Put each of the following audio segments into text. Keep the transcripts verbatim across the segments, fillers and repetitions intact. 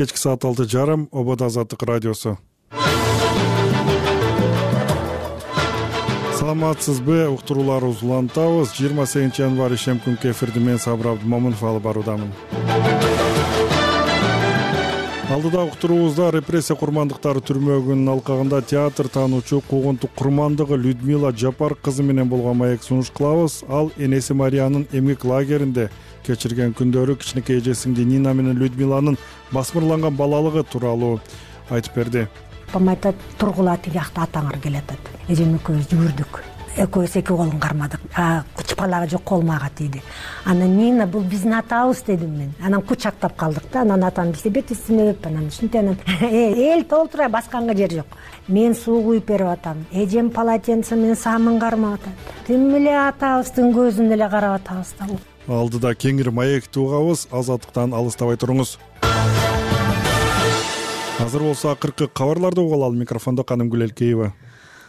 Кечки саат алты жарым Обод Азаттык радиосу. Саламатсызбы, уктурууларыбызды улантабыз. жыйырма сегизинчи январь ишем күнкү эфирди мен Сабыр Абдымомунов алып баруудамын. Алдыда уктуруубузда репрессия курмандыктары түрмөгүнүн алкагында театр таануучу куугунтук курмандыгы Людмила Жапар кызы менен болгон маек сунуш кылабыз. Ал энеси Мариянын эмгек лагеринде кечирген күндөрү кичинекей эжесиңди Нина менен Людмиланын басмырланган балалыгы тууралуу айтып берди. Апам айтат, тургула тиги жакта атаңар келатат. Эжем экөөбүз жүгүрдүк. Экөөбүз эки колун кармадык. Чыпалага жок колума ага тийди. Анан Нина бул биздин атабыз дедим мен. Анан кучактап калдык да. Анан атам бизде бет үстүнө өп анан ушинтип анан эл толтура басканга жер жок. Мен суу куюп берип атам. Эжем полотенце менен самын кармап атат. Тим эле атабыздын көзүнө эле карап атабыз да. Алдыда кеңир маекти угабыз, азаттыктан алыстабай туруңуз. Азыр болсо акыркы кабарларды угалы. Ал микрофондо Канымгүл Элкеева.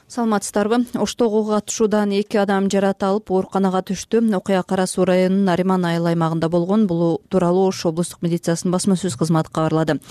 Саламатсыздарбы? Оштогу катышуудан эки адам жаратылып, ооруканага түштү. Окуя Кара Суу районунун Нариман айыл аймагында болгон. Бул тууралуу Ош облустук милициясынын басма сөз кызматы кабарлады.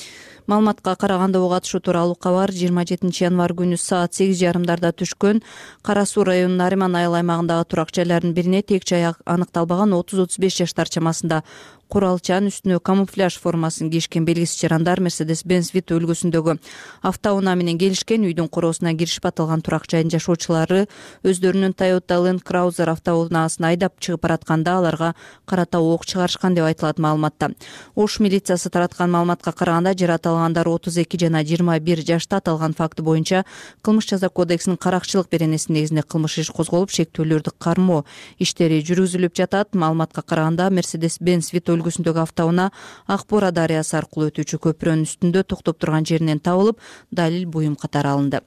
Маалыматка караганда ого катышуу тууралуу кабар жыйырма жетинчи январь күнү саат сегиз жарымдарда түшкөн. Кара Суу районунун Нариман айыл аймагындагы турак жайлардын бирине тек жай аныкталбаган отуз отуз беш жаштар чамасында куралчан үстүнө камуфляж формасын кийишкен белгисиз жарандар Mercedes-Benz Vito үлгүсүндөгү автоунаа менен келишкен. Үйдүн короосуна киришип аталган турак жайдын жашоочулары өздөрүнүн Toyota Land Cruiser автоунаасын айдап чыгып баратканда аларга карата ок чыгарышкан деп айтылат маалыматта. Ош милициясы тараткан маалыматка караганда жаратылгандар отуз эки жана жыйырма бир жашта. Аталган факты боюнча Кылмыш жаза кодексинин каракчылык беренеси негизинде кылмыш иш козголуп, шектүүлөрдү кармоо иштери жүргүзүлүп жатат. Маалыматка караганда Mercedes-Benz Vito үлгүсүндөгү автоунаа Акбора дарыясы аркылуу өтүүчү көпүрөнүн үстүндө токтоп турган жеринен табылып, далил буюм катары алынды.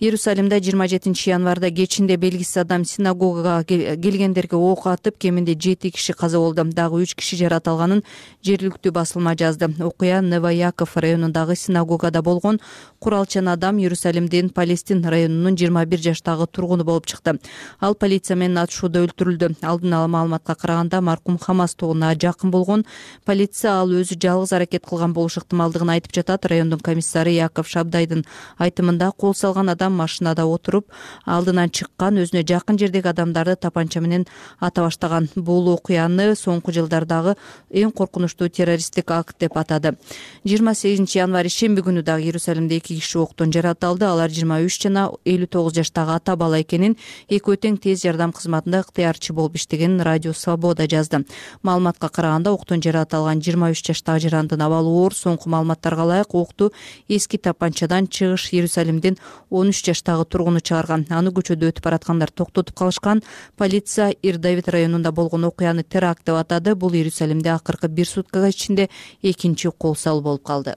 Иерусалимде жыйырма жетинчи январда кечинде белгисиз адам синагогага келгендерге ок атып, кеминде жети киши каза болду. Дагы үч киши жаратылганын жергиликтүү басылма жазды. Окуя Новояков районундагы синагогада болгон. Куралчан адам Иерусалимдин Палестин районунун жыйырма бир жаштагы тургуну болуп чыкты. Ал полиция менен атышууда өлтүрүлдү. Алдын ала маалыматка караганда маркум Хамас тобуна жакын болгон. Полиция ал өзү жалгыз аракет кылган болуш ыктымалдыгын айтып жатат. Райондун комиссары Яков Шабдайдын айтымында кол салган адам машинада отуруп алдынан чыккан, өзүнө жакын жердеги адамдарды тапанча менен ата баштаган. Бул окуяны соңку жылдардагы эң коркунучтуу террористтик акт деп атады. жыйырма сегизинчи январь шемби күнү дагы Иерусалимде эки киши октон жаратылды. Алар жыйырма үч жана элүү тогуз жаштагы ата бала экенин, экөө тең тез жардам кызматында ыктыярчы болуп иштегенин Радио Свобода жазды. Маалыматка караганда октон жаратылган жыйырма үч жаштагы жарандын абалы оор. Соңку маалыматтарга ылайык окту эски тапанчадан чыгыш Иерусалимдин он үч жаштагы тургуну чыгарган. Аны көчөдө өтүп бараткандар токтотуп калышкан. Полиция Ир-Давид районунда болгон окуяны теракт деп атады. Бул Иерусалимде акыркы бир суткага ичинде экинчи кол салуу болуп калды.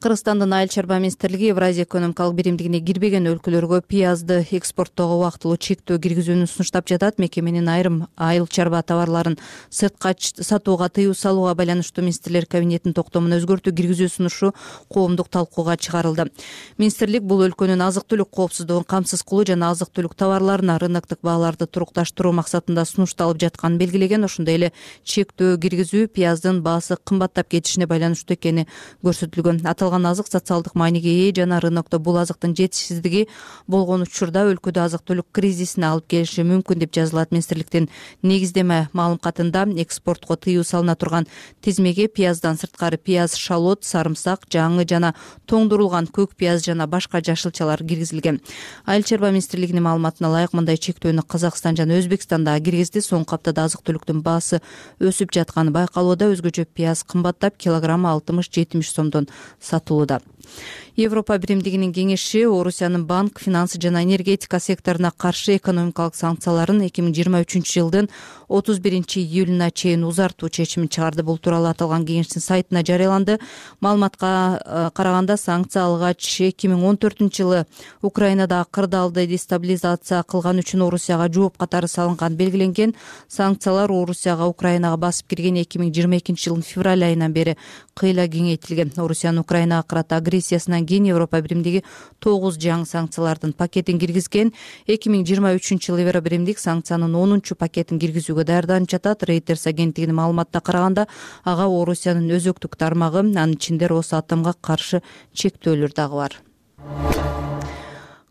Кыргызстандын айыл чарба министрлиги Евразия экономикалык биримдигине кирбеген өлкөлөргө пиязды экспорттоого убактылуу чектөө киргизүүнү сунуштап жатат. Мекеменин айрым айыл чарба товарларын сыртка сатууга тыюу салууга байланыштуу министрлер кабинетинин токтомуна өзгөртүү киргизүү сунушу коомдук талкууга чыгарылды. Министрлик бул өлкөнүн азык-түлүк коопсуздугун камсыз кылуу жана азык-түлүк товарларына рыноктук бааларды турукташтыруу максатында сунушталып жатканын белгилеген. Ошондой эле чектөө киргизүү пияздын баасы кымбаттап кетишине байланыштуу экени көрсөтүлгөн. Азык социалдык мааниге ээ жана рынокто бул азыктын жетишсиздиги болгон учурда өлкөдө азык-түлүк кризисине алып келиши мүмкүн деп жазылат министрликтин негиздеме маалымкатында. Экспортко тыюу салына турган тизмеге пияздан сырткары пияз, шалот, сарымсак, жаңы жана тоңдурулган көк пияз жана башка жашылчалар киргизилген. Айыл чарба министрлигинин маалыматына ылайык мындай чектөөнү Казакстан жана Өзбекстан да киргизди. Соңку аптада азык-түлүктүн баасы өсүп жатканы байкалууда. Өзгөчө пияз кымбаттап, килограммы алтымыш жетимиш сомдон сатылууда. Европа биримдигинин кеңеши Орусиянын банк, финансы жана энергетика секторуна каршы экономикалык санкцияларын эки миң жыйырма үчүнчү жылдын отуз биринчи июлуна чейин узартуу чечимин чыгарды. Бул тууралуу аталган кеңештин сайтына жарыяланды. Маалыматка караганда санкция алгач эки миң он төртүнчү жылы Украинада кырдаалды дестабилизация кылган үчүн Орусияга жооп катары салынган белгиленген. Санкциялар Орусияга Украинага басып кирген эки миң жыйырма экинчи жылдын февраль айынан бери кыйла кеңейтилген. Орусиянын Украинага карата агрессиясынан кийин Европа биримдиги тогуз жаңы санкциялардын пакетин киргизген. эки миң жыйырма үчүнчү жылы Евро биримдик санкциянын онунчу пакетин киргизүүгө даярданып жатат. Reuters агенттигинин маалыматына караганда ага Орусиянын өзөктүк тармагы, анын ичинде Росатомго каршы чектөөлөр дагы бар.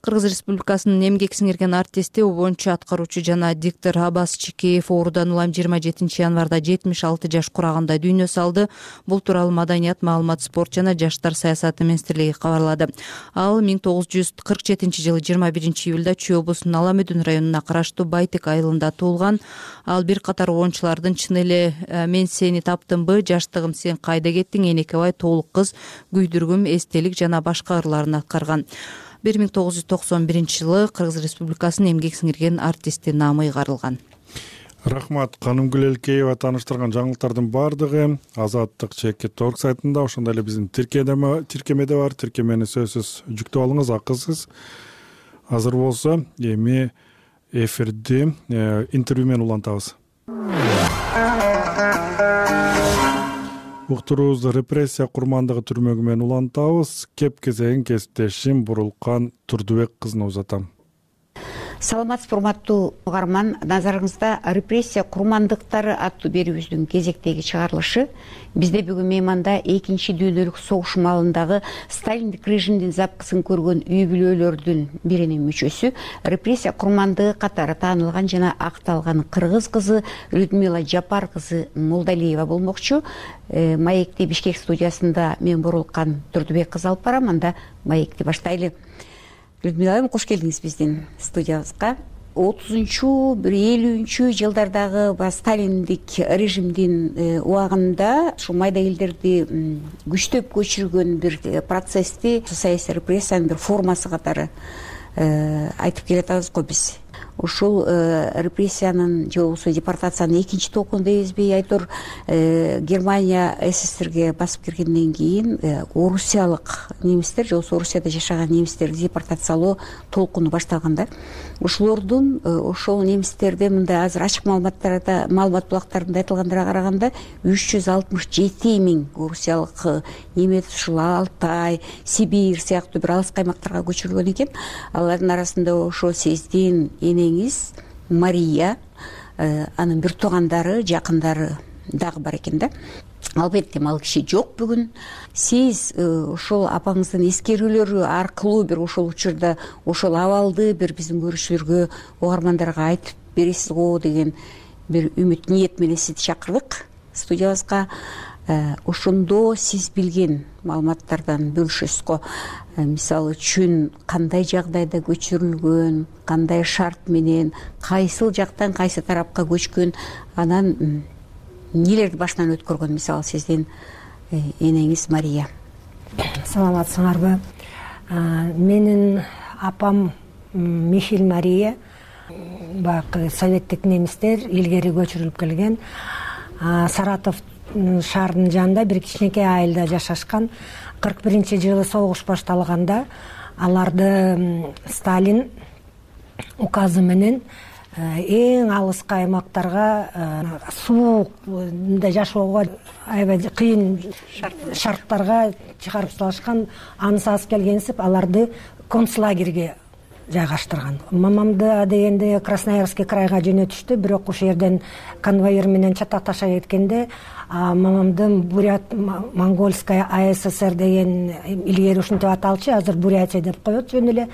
Кыргыз Республикасынын эмгек сиңирген артисти, обончу аткаруучу жана диктор Абас Чикеев оорудан улам жыйырма жетинчи январда жетимиш алты жаш кураганда дүйнө салды. Бул тууралуу Маданият, маалымат, спорт жана жаштар саясаты министрлиги кабарлады. Ал миң тогуз жүз кырк жетинчи жылы жыйырма биринчи июлда Чүй облусунун Аламүдүн районуна караштуу Байтек айылында туулган. Ал бир катар обончулардын чын эле мен сени таптымбы, жаштыгым сен кайда кеттиң, энекебай, толук кыз, күйдүргүм, эстелик жана башка ырларын аткарган. бир миң тогуз жүз токсон биринчи жылы Кыргыз Республикасынын эмгек сиңирген артисти наамы ыйгарылган. Рахмат. Канымгүл Элкеева тааныштырган жаңылыктардын баардыгы Азаттык чекит точка орг сайтында, ошондой эле биздин тиркемеде бар. Тиркемени сөзсүз жүктөп алыңыз, акысыз. Азыр болсо эми эфирди интервью менен улантабыз. Уктуруубузду репрессия курмандыгы түрмөгү менен улантабыз. Кеп кезегин кесиптешим Бурулкан Турдубек кызына узатам. Саламатсызбы, урматтуу угарман. Назарыңызда репрессия курмандыктары аттуу берүүбүздүн кезектеги чыгарылышы. Бизде бүгүн мейманда экинчи дүйнөлүк согуш маалындагы сталиндик режимдин запкысын көргөн үй бүлөлөрдүн биринин мүчөсү, репрессия курмандыгы катары таанылган жана акталган кыргыз кызы Людмила Жапар кызы Молдалиева болмокчу. Маекти Бишкек студиясында мен Бурулкан Турдубек кызы алып барам. Анда маекти баштайлы. Людмила айым, кош келдиңиз биздин студиябызга. отузунчу бир элүүнчү жылдардагы сталиндик режимдин убагында ушу майда элдерди күчтөп көчүргөн бир процессти, саясий репрессиянын бир формасы катары айтып келатабыз го биз. Ушул репрессиянын же болбосо депортациянын экинчи толкуну дейбизби, айтор Германия СССРге басып киргенден кийин орусиялык немистер же болбосо Орусияда жашаган немистерди депортациялоо толкуну башталганда, ушулордун ошол немистерде мындай азыр ачык маалыматтарда, маалымат булактарында айтылгандарга караганда үч жүз алтымыш жети миң орусиялык немец ушул Алтай, Сибирь сыяктуу бир алыс каймактарга көчүрүлгөн экен. Алардын арасында ошо сиздин энеңиз Мария, анын бир туугандары, жакындары дагы бар экен да. Албетте ал киши жок бүгүн. Сиз ошол апаңыздын эскерүүлөрү аркылуу бир ошол учурда ошол абалды бир биздин көрүүчүлөргө, угармандарга айтып бересиз го деген бир үмүт, ниет менен сизди чакырдык студиябызга. Ошондо сиз билген маалыматтардан бөлүшөсүз го. Мисалы үчүн кандай жагдайда көчүрүлгөн, кандай шарт менен, кайсыл жактан кайсы тарапка көчкөн, анан нелерди башынан өткөргөн, мисалы сиздин энеңиз Мария. Саламатсыңарбы? Менин апам Михель Мария, баягы советтик немистер илгери көчүрүлүп келген. Саратов шаарынын жанында бир кичинекей айылда жашашкан. кырк биринчи жылы согуш башталганда аларды Сталин указы менен эң алыскы аймактарга, суукта жашоого аябай кыйын шарттарга чыгарып салышкан. Анысы аз келгенсип аларды концлагерге жайгаштырган. Мамамды дегенде Красноярский крайга жөнөтүштү, бирок ошол жерден конвоир менен чатакташа кеткенде мамамдын Бурят Монгольская АССР деген илгери ушинтип аталчу, азыр Бурятия деп коет жөн эле.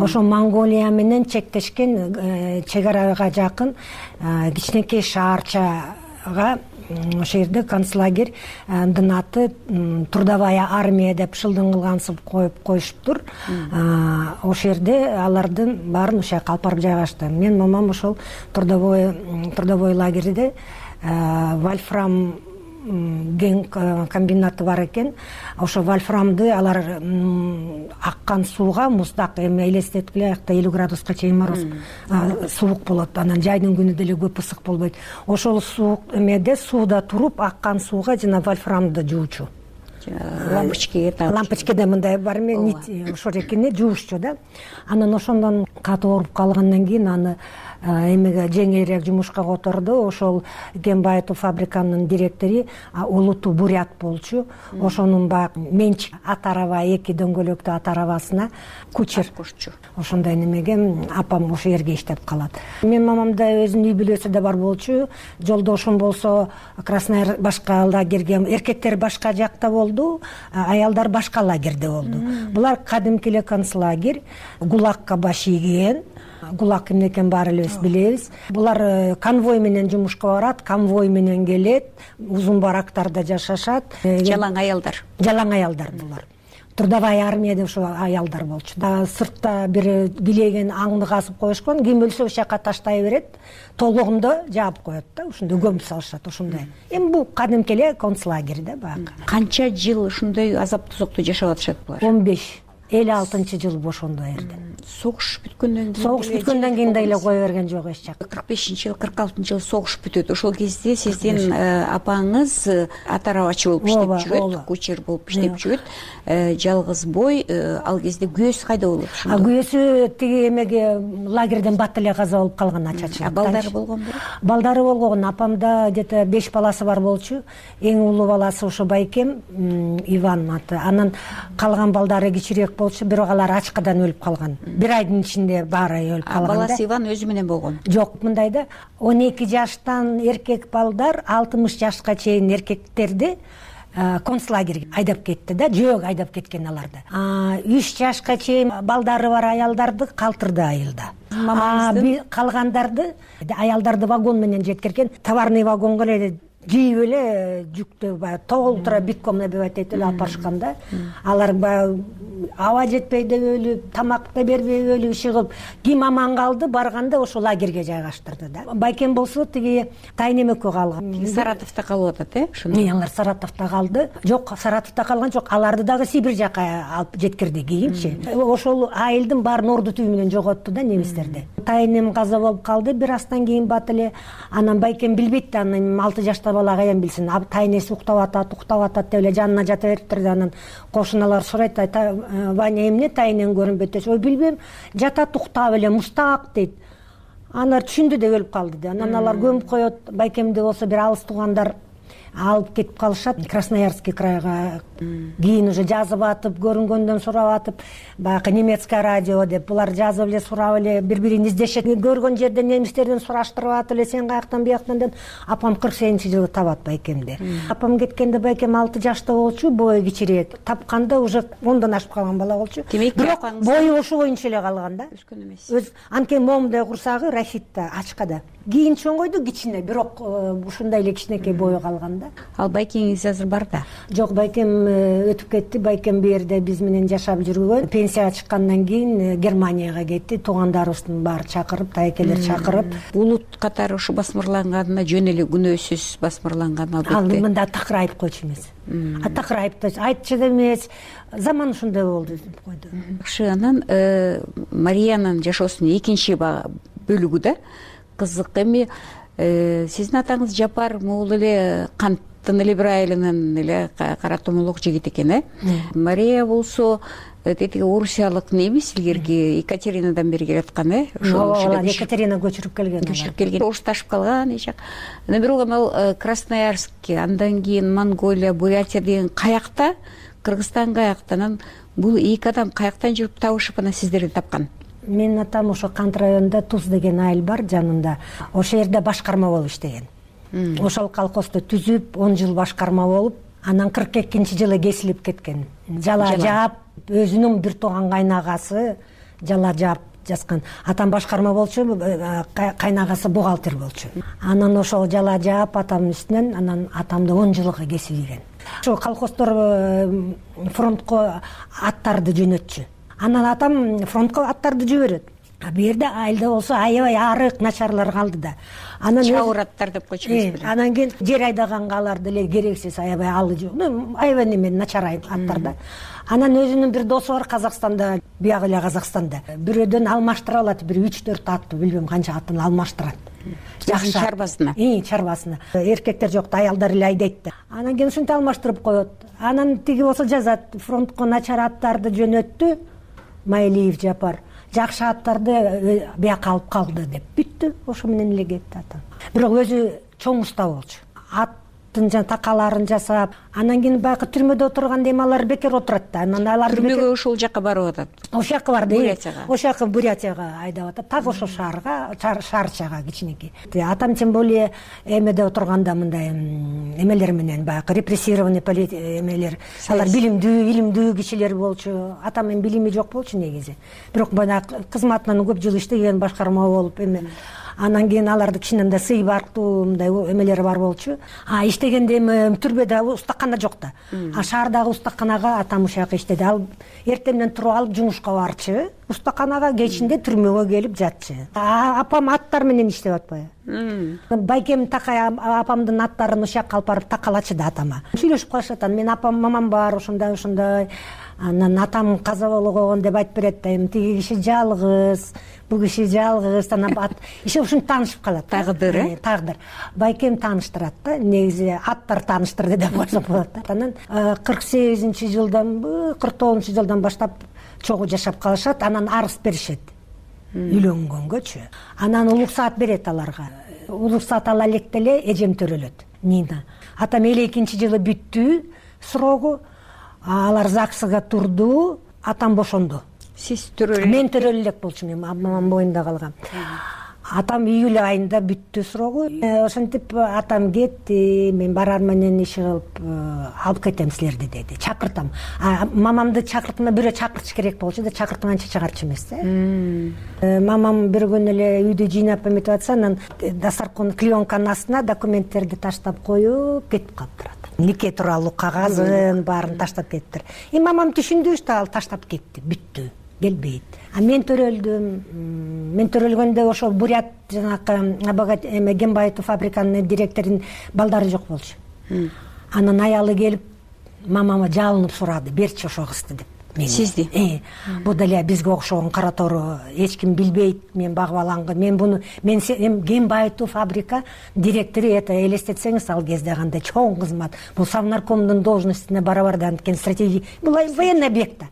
Ошо Монголия менен чектешкен чек арага жакын кичинекей шаарчага, ошол жерде концлагердин аты Трудовая армия деп шылдың кылгансып коюп коюшуптур. Ошол жерде алардын баарын ошол жака алып барып жайгашты. Мен мамам ошол трудовой трудовой лагерде вольфрам ген комбинаты бар экен. Ошо вольфрамды алар аккан сууга, муздак эми элестеткиле, аякта элүү градуска чейин мороз, суук болот. Анан жайдын күнү деле көп ысык болбойт. Ошол суук эмеде сууда туруп аккан сууга жана вольфрамды жуучу. лампочкеге тагып лампочкеде мындай бар эме нить ошо экени жуушчу да. Анан ошондон катуу ооруп калгандан кийин аны эмеге жеңилирээк жумушка которду. Ошол Кембаетов фабриканын директору Улуту Бурят болчу. Ошонун баягы менчик ат араба, эки дөңгөлөктүү ат арабасына кучер кошчу. Ошондой немеге апам ошол жерге иштеп калат. Менин мамам да өзүнүн үй бүлөсү да бар болчу. Жолдошум болсо Краснояр башка лагерге, эркектер башка жакта болду, аялдар башка лагерде болду. Булар кадимки эле концлагерь, ГУЛАГка баш ийген. ГУЛАГ эмне экенин баары элебиз билебиз. Булар конвой менен жумушка барат, конвой менен келет, узун барактарда жашашат. Жалаң аялдар. Жалаң аялдар булар. Трудовая армия деп ошо аялдар болчу. Сыртта бир билеген аңды казып коюшкан, ким өлсө ошол жака таштай берет, толугунда жаап коет да, ошондой көмүп салышат ошондой. Эми бул кадимки эле концлагерь да баягы. Канча жыл ушундай азап тозокту жашап атышат булар? он беш элүү алтынчы жыл ошондо эрден. Согуш бүткөндөн кийин Согуш бүткөндөн кийин да эле кое берген жок эч жак. кырк бешинчи жыл, кырк алтынчы жыл согуш бүтөт. Ошол кезде сиздин апаңыз ат арабачы болуп иштеп жүрөт, кучер болуп иштеп жүрөт. Жалгыз бой, ал кезде күйөөсү кайда болот? А күйөөсү тиги эмеге лагерден бат эле каза болуп калган ачачы. Балдары болгонбу? Балдары болгон. Апамда где-то беш баласы бар болчу. Эң улуу баласы ошо байкем Иван аты. Анан калган балдары кичирээк болчу, бирок алар ачкадан өлүп калган. Бир айдын ичинде баары өлүп калган. Баласы Иван өзү менен болгон? Жок, мындай да, он эки жаштан эркек балдар алтымыш жашка чейин эркектерди концлагерге айдап кетти да, жөөг айдап кеткен аларды. үч жашка чейин балдары бар аялдарды калтырды айылда. Калгандарды аялдарды вагон менен жеткирген, товарный вагонго эле жийип эле жүктө баягы толтура битком набивать этип эле алып барышкан да. Алар баягы аба жетпей деп өлүп, тамак да бербей өлүп чыгып, ким аман калды барганда ошол лагерге жайгаштырды да. Байкем болсо тиги Тайнем экөө калган. Саратовдо калып атат, э? Ошондо. Алар Саратовдо калды. Жок, Саратовдо калган жок. Аларды дагы Сибирь жака алып жеткирди кийинчи. Ошол айылдын баарын орду түбү менен жоготту да немистерди. Тайнем каза болуп калды бир астан кийин бат эле. Анан байкем билбейт да, анан алты жашта бала каян билсин. Тайнеси уктап атат, уктап атат деп эле жанына жата бериптир да. Анан кошуналар сурайт, Ваня эмне Тайнем көрүнбөйт десе, ой билбейм, жатат уктап эле мустак дейт. Анар түшүндү деп өлүп калды да. Анан алар көмүп коет. Байкемде болсо бир алыс туугандар алып кетип калышат Красноярский крайга. Кийин уже жазып атып, көрүнгөндөн сурап атып, баягы немецкое радио деп булар жазып эле сурап эле бири-бирин издешет. Көргөн жерден немистерден сураштырып атып эле, сен каяктан бияктан деп апам кырк сегизинчи жылы табат байкемди. Апам кеткенде байкем алты жашта болчу, бою кичирээк. Тапканда уже ондон ашып калган бала болчу. Бирок бою ошо боюнча эле калган да. Өскөн эмес. Өз анткени момундай курсагы Рафитта ачкада. Кийин чоңойду кичине, бирок ушундай эле кичинекей бою калган да. Ал байкеңиз азыр бар да? Жок, байкем өтүп кетти. Байкем бу жерде биз менен жашап жүргөн. Пенсияга чыккандан кийин Германияга кетти. Туугандарыбыздын баары чакырып, тайкелер чакырып. Улут катары ушу басмырланганына жөн эле күнөөсүз басмырланган албетте. Ал мында такыр айып койчу эмес. А такыр айыпташ, айтчу да эмес. Заман ушундай болду деп койду. Жакшы, анан Мариянын жашоосунун экинчи бөлүгү да кызык. Эми сиздин атаңыз Жапар могул эле канттын эле бир айылынан эле кара томолок жигит экен, э? Мария болсо тетиги орусиялык немис, илгерки Екатеринадан бери келаткан, э? Ошол Екатерина көчүрүп келген. Көчүрүп келген. Орусташып калган эч жак. Анан бирок ал Красноярск, андан кийин Монголия, Бурятия деген каякта, Кыргызстан каякта, анан бул эки адам каяктан жүрүп табышып анан сиздерди тапкан? Менин атам ошо Кант районунда Туз деген айыл бар жанында. Ошол жерде башкарма болуп иштеген. Ошол колхозду түзүп, он жыл башкарма болуп, анан кырк экинчи жылы кесилип кеткен. Жала жаап, өзүнүн бир тууган кайнагасы жала жаап жазган. Атам башкарма болчу, кайнагасы бухгалтер болчу. Анан ошол жала жаап атамдын үстүнөн, анан атамды он жылга кесилген. Ошо колхоздор фронтко аттарды жөнөтчү. Анан атам фронтко аттарды жиберет. А бул жерде айылда болсо аябай арык начарлар калды да. Анан чабыраттар деп койчубуз. Анан кийин жер айдаганга алар деле керексиз аябай алы жок. Аябай неме начар аттар да. Анан өзүнүн бир досу бар Казакстанда, биягы эле Казакстанда. Бирөөдөн алмаштыра алат, бир үч төрт атты, билбейм канча атын алмаштырат. Жакшы чарбасына. И, чарбасына. Эркектер жок да, аялдар эле айдайт да. Анан кийин ушинтип алмаштырып коет. Анан тиги болсо жазат, фронтко начар аттарды жөнөттү Майылиев Жапар. Жакшы аттарды бияка алып калды деп. Бүттү, ошо менен эле кетти атам. Бирок өзү чоң уста болчу. Аттын жана такаларын жасап, анан кийин баягы түрмөдө отурганда эми алар бекер отурат да. Анан алар түрмөгө ошол жака барып атат. Ошол жака барды. Бурятияга. Ошол жака Бурятияга айдап атат. Так ошол шаарга, шаарчага кичинекей. Атам тем более эмеде отурганда мындай эмелер менен баягы репрессированный эмелер, алар билимдүү, илимдүү кишилер болчу. Атам эми билими жок болчу негизи. Бирок баягы кызматынан көп жыл иштеген, башкарма болуп эме. Анан кийин аларды кичинен да сый барктуу мындай эмелери бар болчу. А иштегенде эми түрбөдө устакана жок да. А шаардагы устаканага атам ошол жака иштеди. Ал эртеңден туруп алып жумушка барчу. Устаканага кечинде түрмөгө келип жатчу. Апам аттар менен иштеп атпайбы? Байкем такай апамдын аттарын ошол жака алып барып такалачы да атама. Сүйлөшүп калышат. Мен апам, мамам бар, ошондой ошондой. Анан атам каза болгон деп айтып берет да, эми тиги киши жалгыз, бул киши жалгыз, анан иши ушинтип таанышып калат. Тагдыр, э? Тагдыр. Байкем тааныштырат да, негизи аттар тааныштырды деп койсок болот да. Анан кырк сегизинчи жылдан, кырк тогузунчу жылдан баштап чогуу жашап калышат, анан арыз беришет. Үйлөнгөнгөчү. Анан улук саат берет аларга. Улук саат ала электе эле эжем төрөлөт. Нина. Атам элүү экинчи жылы бүттү срогу. Алар ЗАГСга турду, атам бошонду. Сиз төрөлө? Мен төрөлө элек болчумун, мамам боюнда калгам. Атам июль айында бүттү срогу. Ошентип атам кетти, мен барар менен иши кылып алып кетем силерди деди. Чакыртам. Мамамды чакыртма, бирөө чакыртыш керек болчу да, чакыртмаганча чыгарчу эмес да. Мамам бир күнү эле үйдү жыйнап эметип атса, анан дастаркан клеенканын астына документтерди таштап коюп кетип калыптыр. Нике тууралуу кагазын баарын таштап кетиптир. И мамам түшүндү, что ал таштап кетти, бүттү, келбейт. А мен төрөлдүм. Мен төрөлгөндө ошол Бурят жанакы Абагат эме Гембаетов фабриканын директорунун балдары жок болчу. Анан аялы келип мамама жалынып сурады, берчи ошол кызды деп. Сизди? Э, бул деле бизге окшогон кара тору, эч ким билбейт, мен багып алган. Мен буну мен Гембаетов фабрика директору, это элестетсеңиз ал кезде кандай чоң кызмат. Бул Совнаркомдун должностуна барабар да анткени стратегия. Бул военный объект да.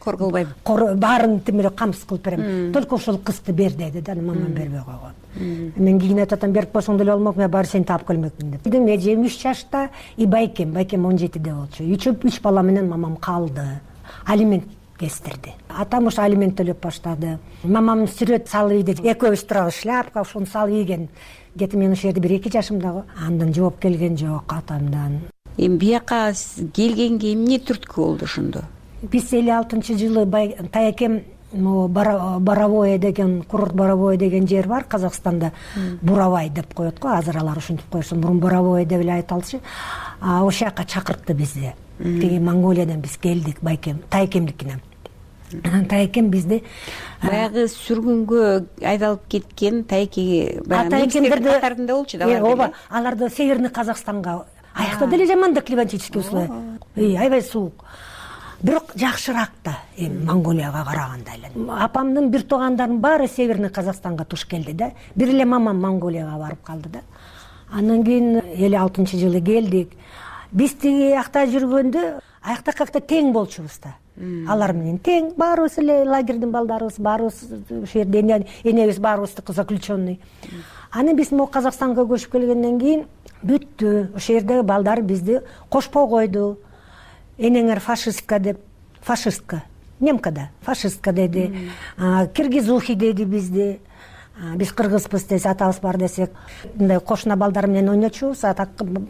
Корголбайбы? Баарын тимире камсыз кылып берем. Только ошол кызды бер деди да, мамам бербей койгон. Мен кийинет атам берип койсоң деле болмок, мен баары сени таап келмекмин деп. Эжем үч жашта, и байкем, байкем он жетиде болчу. Үч бала менен мамам калды. Алимент кестирди. Атам ошо алимент төлөп баштады. Мамам сүрөт салып ийди. Экөөбүз турабыз, шляпка ошону салып ийген. Где-то мен ошол жерде бир эки жашымда го. Андан жооп келген жок атамдан. Эми бияка келгенге эмне түрткү болду ошондо? Биз элүү алтынчы жылы тайакем Боровое деген, курорт Боровое деген жер бар Казакстанда. Буравай деп коет го, азыр алар ушинтип коюшун. Мурун Боровое деп эле айталчу. Ошол жака чакыртты бизди. Тиги Монголиядан биз келдик, байкем, тайкемдикине. Анан тайкем бизди баягы сүргүнгө айдалып кеткен тайкеге немистердин катарында болчу да. Ооба, алар да Северный Казакстанга. Аякта деле жаман да климатический условия. Аябай суук. Бирок жакшыраак да эми Монголияга караганда эле. Апамдын бир туугандарынын баары Северный Казакстанга туш келди да. Бир эле мамам Монголияга барып калды да. Андан кийин элүү алтынчы жылы келдик. Биз тиги акта жүргөндө аякта какта тең болчубуз да. Алар менен тең, баарыбыз эле лагердин балдарыбыз, баарыбыз ошол жерде энебиз баарыбыздыкы заключенный. Анан биз могу Казакстанга көчүп келгенден кийин бүттү. Ошол жердеги балдар бизди кошпой койду. Энеңер фашистка деп, фашистка, немка да, фашистка деди. Киргизухи деди бизди. Биз кыргызбыз десе, атабыз бар десек, мындай кошуна балдар менен ойночубуз, ата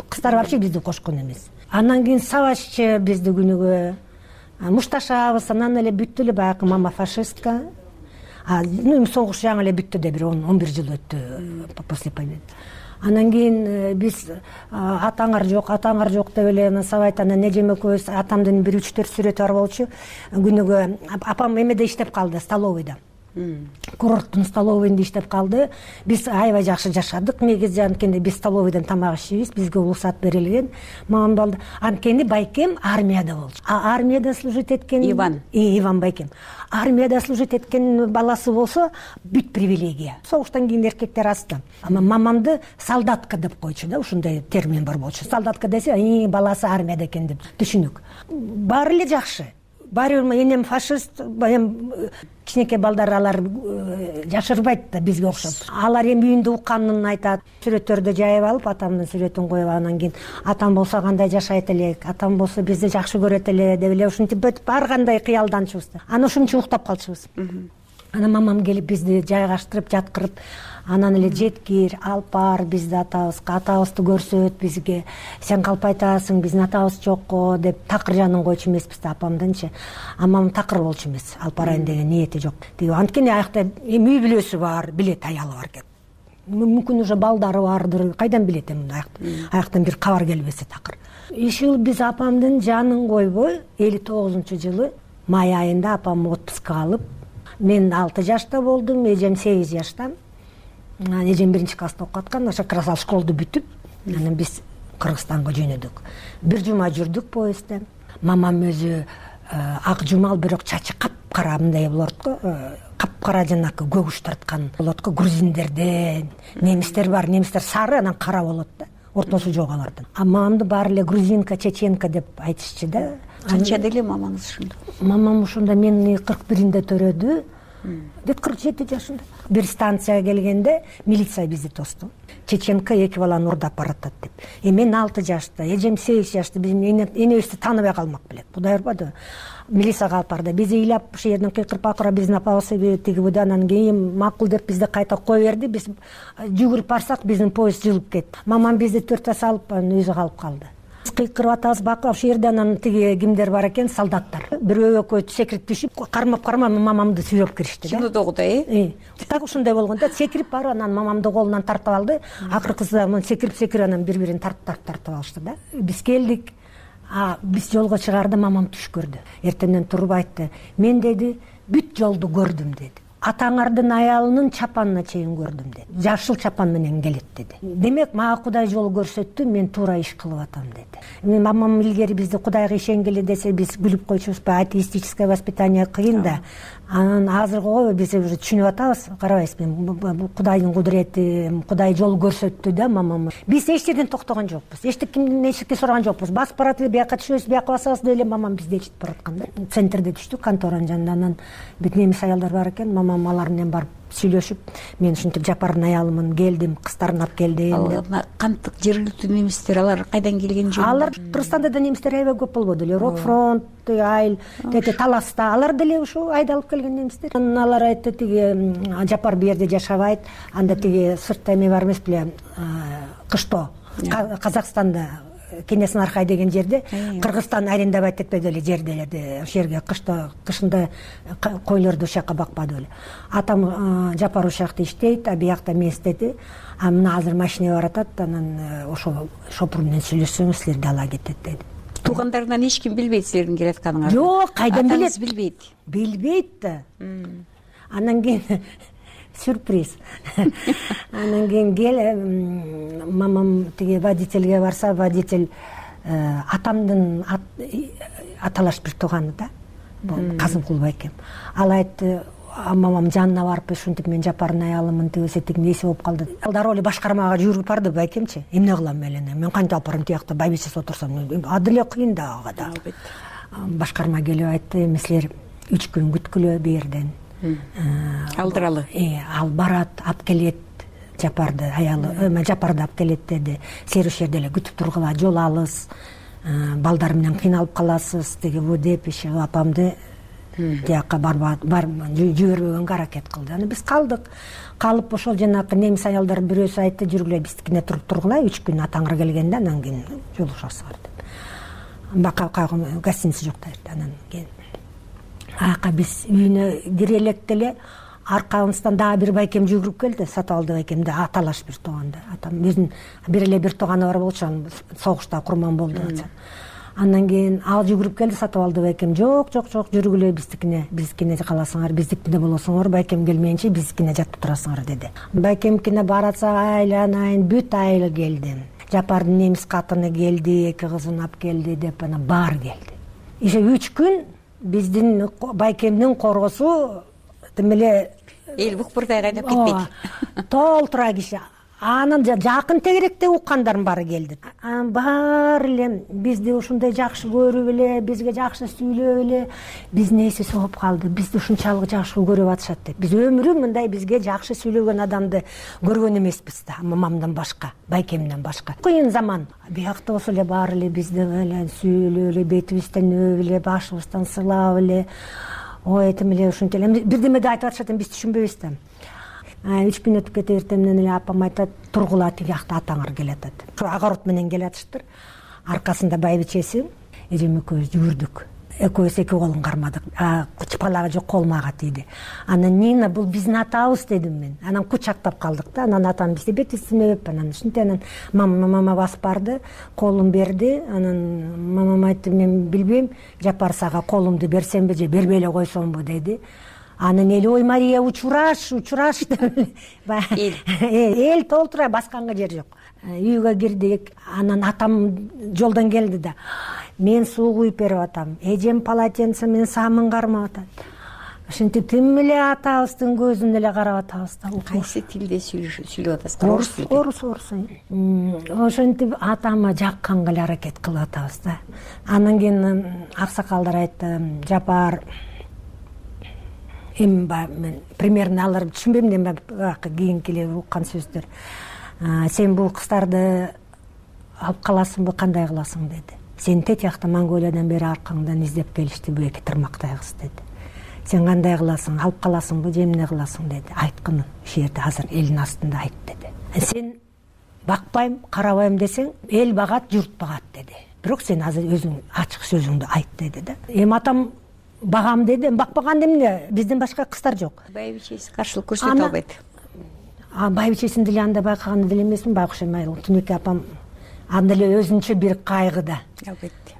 кыздар вообще бизди кошкон эмес. Андан кийин сабашчы бизди күнүгө мушташабыз, анан эле бүттү эле баягы мама фашистка. Ну, согуш жаңы эле бүттү да, бир он бир жыл өттү после победы. Анан кийин биз атаңар жок, атаңар жок деп эле сабайт. Анан эжем экөөбүз, атамдын бир үч төрт сүрөтү бар болчу. Күнүгө апам эмеде иштеп калды, столовыйда. курорттун столовыйында иштеп калды. Биз аябай жакшы жашадык. Негизи анткени биз столовыйдан тамак ичебиз, бизге уруксат берилген. Мамам балды анткени байкем армияда болчу. А армияда служить эткен Иван. И Иван байкем. Армияда служить эткен баласы болсо бүт привилегия. Согуштан кийин эркектер асты. Ама мамамды солдатка деп койчу да, ушундай термин бар болчу. Солдатка десе, и баласы армияда экен деп түшүнүк. Баары эле жакшы. Баары бир энем фашист, эми кичинекей балдар алар жашырбайт да бизге окшоп. Алар эми үйүндө укканын айтат. Сүрөттөрдү жайып алып, атамдын сүрөтүн коюп, анан кийин атам болсо кандай жашайт элек, атам болсо бизди жакшы көрөт эле деп эле ушинтип ар кандай кыялданчубуз. Анан ушунча уктап калчубуз. Анан мамам келип бизди жайгаштырып, жаткырып, анан эле жеткир, алып бар бизди атабызга, атабызды көрсөт бизге. Сен калп айтасың, биздин атабыз жокко деп такыр жанын койчу эмеспиз да апамдынчы. Амам такыр болчу эмес, алып барайын деген ниети жок. Тиги анткени аякта эми үй бүлөсү бар, билет аялы бар экен. Мүмкүн уже балдары бардыр, кайдан билет эми аякта. Аяктан бир кабар келбесе такыр. Иши биз апамдын жанын койбой, элүү тогузунчу жылы май айында апам отпускка алып, мен алты жашта болдум, эжем сегиз жашта. Эжем биринчи класста окуп аткан, ошо как раз ал школду бүтүп, анан биз Кыргызстанга жөнөдүк. Бир жума жүрдүк поездде. Мамам өзү ак жумал, бирок чачы капкара мындай болот го, капкара жанакы көгүш тарткан болот го. Грузиндерде немистер бар, немистер сары, анан кара болот да. Ортосу жок алардын. А мамамды баары эле грузинка, чеченка деп айтышчу да. Канчада эле мамаңыз ушунда? Мамам ушунда мени кырк биринде төрөдү. Бүт кырк жети жашында. Бир станцияга келгенде милиция бизди тосту. Чеченка эки баланы урдап баратат деп. Э мен алты жашта, эжем сегиз жашта, биз энебизди тааныбай калмак белек. Кудай урбады. Милицияга алып барды. Биз ыйлап ошо жерден кыйкырып акыра биздин апабыз тиги буйда, анан кийин макул деп бизди кайта кое берди. Биз жүгүрүп барсак биздин поезд жылып кетти. Мамам бизди төртөө салып, анан өзү калып калды. Кыйкырып атабыз бакып, ошол жерде анан тиги кимдер бар экен, солдаттар. Бирөө экөө секирип түшүп, кармап-кармап мамамды сүйрөп киришти да. Кинодогудай, э? Так ушундай болгон да, секирип барып анан мамамды колунан тартып алды. Акыркысы мын секирип-секирип анан бири-бирин тартып тартып алышты да. Биз келдик. А биз жолго чыгаарда мамам түш көрдү. Эртеңден туруп айтты: "Мен деди, бүт жолду көрдүм" деди. Атаңардын аялынын чапанына чейин көрдүм деди. Жашыл чапан менен келет деди. Демек, мага Кудай жол көрсөттү, мен туура иш кылып атам деди. Мен мамам илгери бизди Кудайга ишенгиле десе, биз күлүп койчубузбу, атеистическое воспитание кыйын да. Анан азыркы биз уже түшүнүп атабыз, карабайсызбы, Кудайдын кудурети, Кудай жол көрсөттү да мамам. Биз эч жерден токтогон жокпуз. Эч кимдин эчтеке сураган жокпуз. Басып барат эле, бияка түшөбүз, бияка басабыз деп эле мамам бизди ээрчитип бараткан да. Центрде түштүк, контораның жанында. Анан бүт немис аялдар бар экен. Мамам алар менен барып сүйлөшүп, мен ушинтип Жапардын аялымын, келдим, кыздарын алып келдим деп. Кантип жергиликтүү немистер, алар кайдан келген жөн? Алар Кыргызстанда да немистер аябай көп болбоду эле. Рокфронт, Айыл, тети Таласта, алар деле ушу айдалып келген немистер. Анан алар айтты, тиги Жапар бу жерде жашабайт, анда тиги сыртта эме бар эмес беле, Кышто, Казакстанда Кенесин Аркай деген жерде, Кыргызстан арендовать этпеди эле жерделерди. Ошол жерге кышта кышында койлорду ошол жака бакпады эле. Атам Жапар ошол жакта иштейт, а биякта мен иштеди. А мына азыр машина баратат, анан ошол шопур менен сүйлөшсөңүз силерди ала кетет деди. Туугандарынан эч ким билбейт силердин келатканыңарды? Жок, кайдан билет? Атаңыз билбейт. Билбейт да. Анан кийин сюрприз. Анан кийин кел, мамам тиги водительге барса, водитель атамдын аталаш бир тууганы да, Казымкул байкем. Ал айтты, мамам жанына барып, ушинтип мен Жапардын аялымын, тигиси тигин эси болуп калды. Ал дароо эле башкармага жүрүп барды байкемчи. Эмне кылам эле? Мен кантип алып барам тиякта байбичеси отурсам, аделе кыйын да ага да. Башкарма келип айтты, эми силер үч күн күткүлө бу жерден. Алдыралы. Э, ал барат, алып келет Жапарды, аялы, Жапарды алып келет деди. Силер ошол жерде эле күтүп тургула, жол алыс, балдар менен кыйналып каласыз, тиги бу деп иши апамды тияка жибербөгөнгө аракет кылды. Анан биз калдык. Калып ошол жанакы немис аялдар бирөөсү айтты, жүргүлө биздикине туруп тургула, үч күн атаңар келгенде, анан кийин жолугушасыздар деп. Бака кайгы гостиница жок да, анан кийин аяка биз үйүнө кире электе эле аркабыздан дагы бир байкем жүгүрүп келди, Сатыбалды байкем да, аталаш бир тууган да. Атам өзүнүн бир эле бир тууганы бар болчу, согушта курман болду. Андан кийин ал жүгүрүп келди, сатып алды байкем. Жок, жок, жок, жүргүлө биздикине, биздикине каласыңар, биздикине болосуңар, байкем келмейинче биздикине жатып турасыңар деди. Байкемкине баратса айланайын, бүт айыл келди. Жапардын немис катыны келди, эки кызын алып келди деп анан баары келди. Ише үч күн биздин байкемдин коргосу тимеле эл букпурдай кайнап кетпейт. Толтура киши. Анын жакын тегеректе уккандардын баары келди. Анан баары эле бизди ушундай жакшы көрүп эле, бизге жакшы сүйлөп эле, биздин эси соғуп калды. Бизди ушунчалык жакшы көрүп атышат деп. Биз өмүрү мындай бизге жакшы сүйлөгөн адамды көргөн эмеспиз да, мамамдан башка, байкемден башка. Кыйын заман. Биякта болсо эле баары эле бизди эле сүйлөп эле, бетибизден өөп эле, башыбыздан сылап эле, ой этим эле ушунча эле бирдеме да айтып атышат, биз түшүнбөйбүз да. Үч күн өтүп кетип эртемнен эле апам айтат, тургула тиги жакта атаңар келатат. Ушу огород менен келатыштыр. Аркасында байбичеси, эжем экөөбүз жүгүрдүк. Экөөбүз эки колун кармадык. Чыпалага жок, колум ага тийди. Анан Нина, бул биздин атабыз дедим мен. Анан кучактап калдык да. Анан атам бизди бетибизден өөп, анан ушинтип анан мама басып барды, колун берди. Анан мамам айтты, мен билбейм, Жапар сага колумду берсемби же бербей эле койсомбу деди. Анан эл, ой Мария, учураш, учураш деп эл эл толтура, басканга жер жок. Үйгө кирдик. Анан атам жолдон келди да. Мен суу куюп берип атам. Эжем полотенце менен самын кармап атат. Ошентип тим эле атабыздын көзүнө эле карап атабыз да. Кайсы тилде сүйлөп атасыздар? Орус, орус, орус. Ошентип атама жакканга эле аракет кылып атабыз да. Анан кийин аксакалдар айтты, Жапар, эми мен примерно алар түшүнбөйм, эми кийинки эле уккан сөздөр. Сен бул кыздарды алып каласыңбы, кандай кыласың деди. Сен тет жакта Монголиядан бери аркаңдан издеп келишти бу эки тырмактай кыз деди. Сен кандай кыласың, алып каласыңбы же эмне кыласың деди. Айткын, ушул жерде азыр элдин астында айт деди. Сен бакпайм, карабайм десең, эл багат, журт багат деди. Бирок сен азыр өзүң ачык сөзүңдү айт деди да. Эми атам багам деди, бакпаган эмне, бизден башка кыздар жок. Байбичеси каршылык көрсөтө албайт. А байбичесин деле анда байкаган деле эмесмин, байкуш эми Түнөкөй апам анда эле өзүнчө бир кайгыда. Албетте.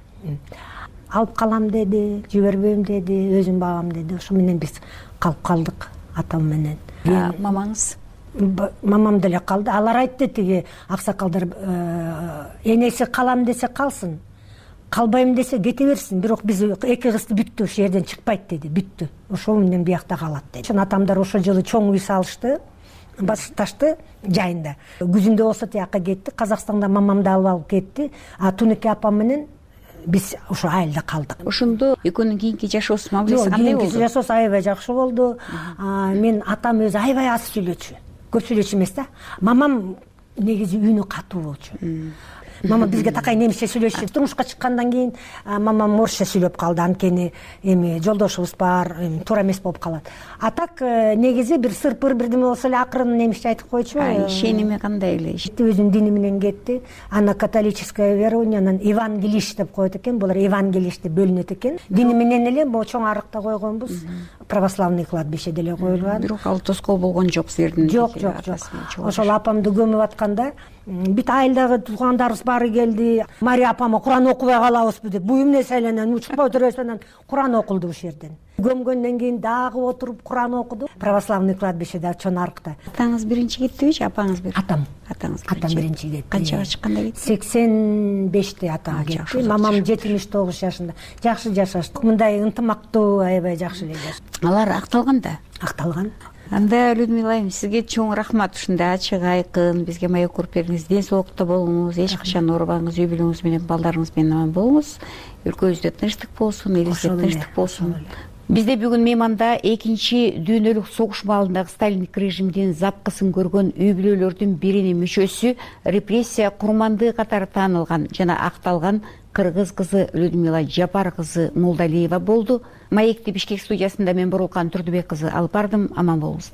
Алып калам деди, жибербейм деди, өзүм багам деди. Ошо менен биз калып калдык атам менен. Мамаңыз? Мамам деле калды. Алар айтты, тиги аксакалдар, энеси калам десе калсын, калбайм десе кете берсин, бирок биз эки кызды бүттү, ошол жерден чыкпайт деди, бүттү. Ошол менен биякта калат деди. Ошон атамдар ошол жылы чоң үй салышты, Басыкташты жайында. Күзүндө болсо тияка кетти, Казакстанда мамамды алып алып кетти. А Түнөкөй апам менен биз ошо айылда калдык. Ошондо экөөнүн кийинки жашоосу мамилеси кандай болду? Кийинки жашоосу аябай жакшы болду. Мен атам өзү аябай аз сүйлөчү. Көп сүйлөчү эмес да. Мамам негизи үнү катуу болчу. Мама бизге такай немисче сүйлөшчү. Турмушка чыккандан кийин мамам орусча сүйлөп калды, анткени эми жолдошубуз бар, туура эмес болуп калат. А так негизи бир сырпыр бирдеме болсо эле акырын немисче айтып койчу. Ишеними кандай эле? Өзүнүн дини менен кетти. Ана католическое верованиянан евангелист деп коет экен, булар евангелист деп бөлүнөт экен. Дини менен эле могу чоң арыкта койгонбуз. Православный кладбище деле коюлган. Бирок ал тоскоол болгон жок силердин? Жок, жок, жок. Ошол апамды көмүп атканда бүт айылдагы туугандарыбыз баары келди. Мария апама Куран окубай калабызбы деп, бу эмне селенен учпай турасынан Куран окулду ушул жерден. Көмгөндөн кийин дагы отуруп Куран окуду. Православный кладбищеде чоң арыкта. Атаңыз биринчи кеттиби же апаңыз биринчи? Атам. Атаңыз Атам биринчи кетти. Канчага чыкканда кетти? сексен беште атам кетти. Мамам жетимиш тогуз жашында. Жакшы жашашты. Мындай ынтымактуу, аябай жакшы эле жашашты. Алар акталган да? Акталган. Анда Людмила айым, сизге чоң рахмат, ушундай ачык айкын бизге маек коруп бердиңиз. Ден соолукта болуңуз, эч качан оорубаңыз, үй бүлөңүз менен, балдарыңыз менен аман болуңуз. Өлкөбүздө тынчтык болсун, элибизде тынчтык болсун. Бизде бүгүн мейманда экинчи дүйнөлүк согуш маалындагы сталиндик режимдин запкысын көргөн үй бүлөлөрдүн биринин мүчөсү, репрессия курмандыгы катары таанылган жана акталган кыргыз кызы Людмила Жапар кызы Молдалиева болду. Маекти Бишкек студиясында мен Борулкан Турдубек кызы алып бардым. Аман болуңуз.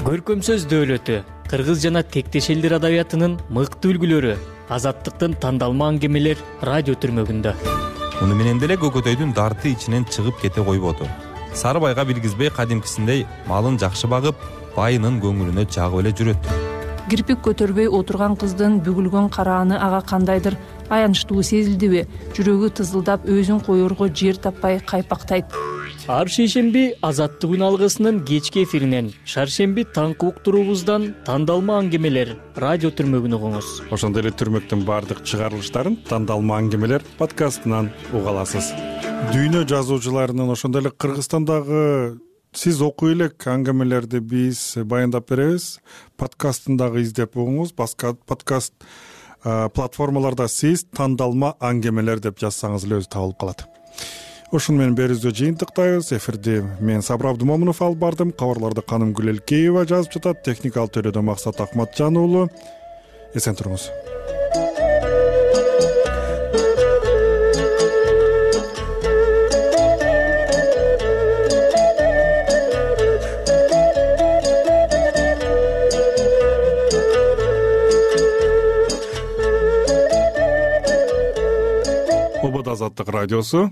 Көркөм сөз дөөлөтү, кыргыз жана тектеш элдер адабиятынын мыкты үлгүлөрү, азаттыктын тандалма аңгемелер радио түрмөгүндө. Муну менен деле Көкөтөйдүн дарты ичинен чыгып кете койбоду. Сары байга билгизбей кадимкисиндей малын жакшы багып, байынын көңүлүнө жагып эле жүрөт. Кирпик көтөрбөй отурган кыздын бүгүлгөн карааны ага кандайдыр аянычтуу сезилдиби, жүрөгү тызылдап өзүн коерго жер таппай кайпактайт. Ар шейшемби Азаттык үн алгысынын кечки эфиринен, шаршемби таңкы уктуруубуздан тандалма аңгемелер радио түрмөгүн угуңуз. Ошондой эле түрмөктүн баардык чыгарылыштарын тандалма аңгемелер подкастынан уга аласыз. Дүйнө жазуучуларынын, ошондой эле Кыргызстандагы сиз окуй элек аңгемелерди биз баяндап беребиз. Подкастын дагы издеп угуңуз. Подкаст платформаларда сиз тандалма аңгемелер деп жазсаңыз эле өзү табылып калат. Ошону менен берүүбүздү жыйынтыктайбыз. Эфирди мен Сабыр Абдымомунов алып бардым. Кабарларды Каным Гүлелкеева жазып жатат. Техникалык төрөдө Максат Акматжан уулу. Эсен туруңуз. Азаттык радиосу